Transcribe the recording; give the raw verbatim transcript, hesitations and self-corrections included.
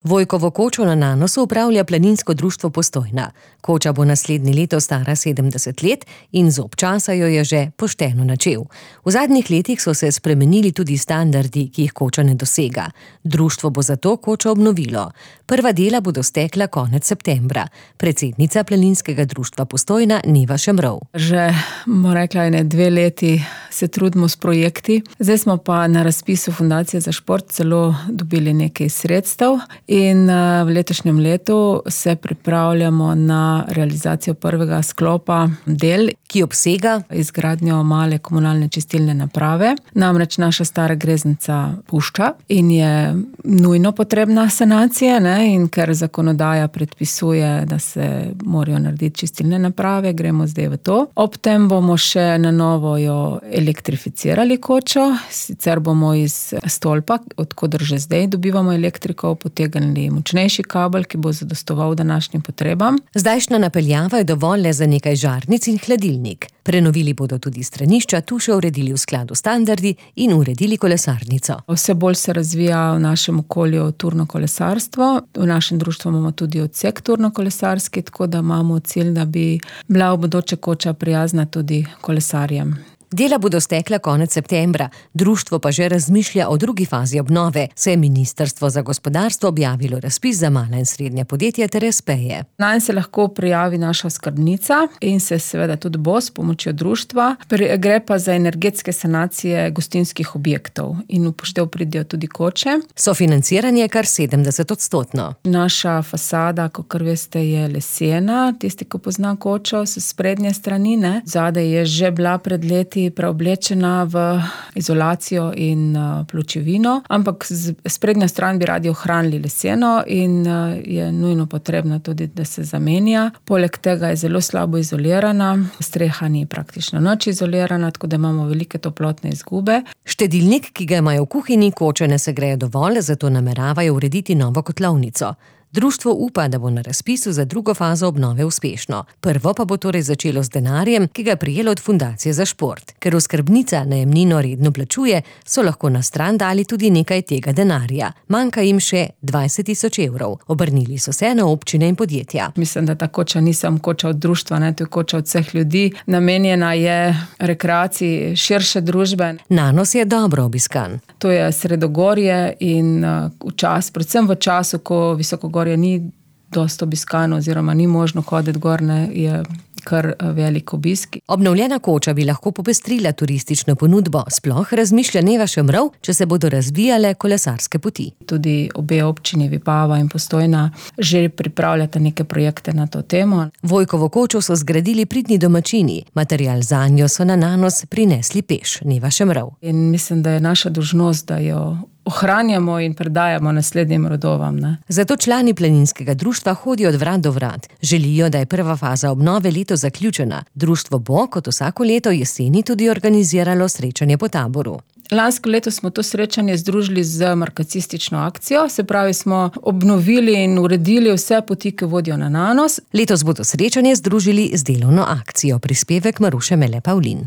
Vojkovo kočo na Nanosu upravlja Planinsko društvo Postojna. Koča bo naslednje leto stara sedemdeset let in zob časa jo je že pošteno načel. V zadnjih letih so se spremenili tudi standardi, ki jih koča ne dosega. Društvo bo zato kočo obnovilo. Prva dela bodo stekla konec septembra. Predsednica Planinskega društva Postojna Neva Šemrov. Že, bomo rekla, ene dve leti se trudimo s projekti. Zdaj smo pa na razpisu Fundacije za šport celo dobili nekaj sredstev. In v letošnjem letu se pripravljamo na realizacijo prvega sklopa del, ki obsega izgradnjo male komunalne čistilne naprave. Namreč naša stara greznica pušča in je nujno potrebna sanacija, ne? In ker zakonodaja predpisuje, da se morajo narediti čistilne naprave, gremo zdaj v to. Ob tem bomo še na novo jo elektrificirali kočo, sicer bomo iz stolpa, odkoder že zdaj dobivamo elektriko, potegnili močnejši kabel, ki bo zadostoval današnjim potrebam. Zdajšnja napeljava je dovolj le za nekaj žarnic in hladilnik. Prenovili bodo tudi stranišča, tu še uredili v skladu standardi in uredili kolesarnico. Vse bolj se razvija v našem okolju turno kolesarstvo. V našem društvu imamo tudi odsek turno kolesarski, tako da imamo cilj, da bi bila v bodoče koča prijazna tudi kolesarjem. Dela bodo stekla konec septembra, društvo pa že razmišlja o drugi fazi obnove, saj je Ministrstvo za gospodarstvo objavilo razpis za mala in srednja podjetja ter espeje. Nanj se lahko prijavi naša skrbnica in se seveda tudi bo s pomočjo društva. Gre pa za energetske sanacije gostinskih objektov in upoštev pridejo tudi koče. Sofinanciranje je kar sedemdeset odstotno. Naša fasada, kakor veste, je lesena, tisti, ko pozna kočo, s sprednje strani, ne. Zadaj je že bila pred leti preoblečena v izolacijo in pločevino, ampak sprednja stran bi radi ohranili leseno in je nujno potrebno tudi, da se zamenja. Poleg tega je zelo slabo izolirana, streha ni praktično nič izolirana, tako da imamo velike toplotne izgube. Štedilnik, ki ga imajo v kuhinji, koče ne segreje dovolj, zato nameravajo urediti novo kotlovnico. Društvo upa, da bo na razpisu za drugo fazo obnove uspešno. Prvo pa bo torej začelo z denarjem, ki ga je prejelo od Fundacije za šport. Ker oskrbnica najemnino redno plačuje, so lahko na stran dali tudi nekaj tega denarja. Manjka jim še dvajset tisoč evrov. Obrnili so se na občine in podjetja. Mislim, da ta koča ni samo koča od društva, ne, to je koča od vseh ljudi. Namenjena je rekreaciji širše družbe. Nanos je dobro obiskan. To je sredogorje in v čas, predvsem v času, ko visokogorje ni dosti obiskano oziroma ni možno hoditi gor, ne, je kar velik obisk. Obnovljena koča bi lahko popestrila turistično ponudbo, sploh razmišlja Neva Šemrov, če se bodo razvijale kolesarske poti. Tudi obe občini Vipava in Postojna že pripravljata neke projekte na to temo. Vojkovo kočo so zgradili pridni domačini, material zanjo so na Nanos prinesli peš, Neva Šemrov. In mislim, da je naša dolžnost, da jo ohranjamo in predajamo naslednjim rodovam, ne. Zato člani Planinskega društva hodijo od vrat do vrat. Želijo, da je prva faza obnove leto zaključena. Društvo bo, kot vsako leto jeseni, tudi organiziralo srečanje po taboru. Lansko leto smo to srečanje združili z markacistično akcijo, se pravi, smo obnovili in uredili vse poti, ki vodijo na Nanos. Letos bodo srečanje združili z delovno akcijo, prispevek Maruše Mele Pavlin.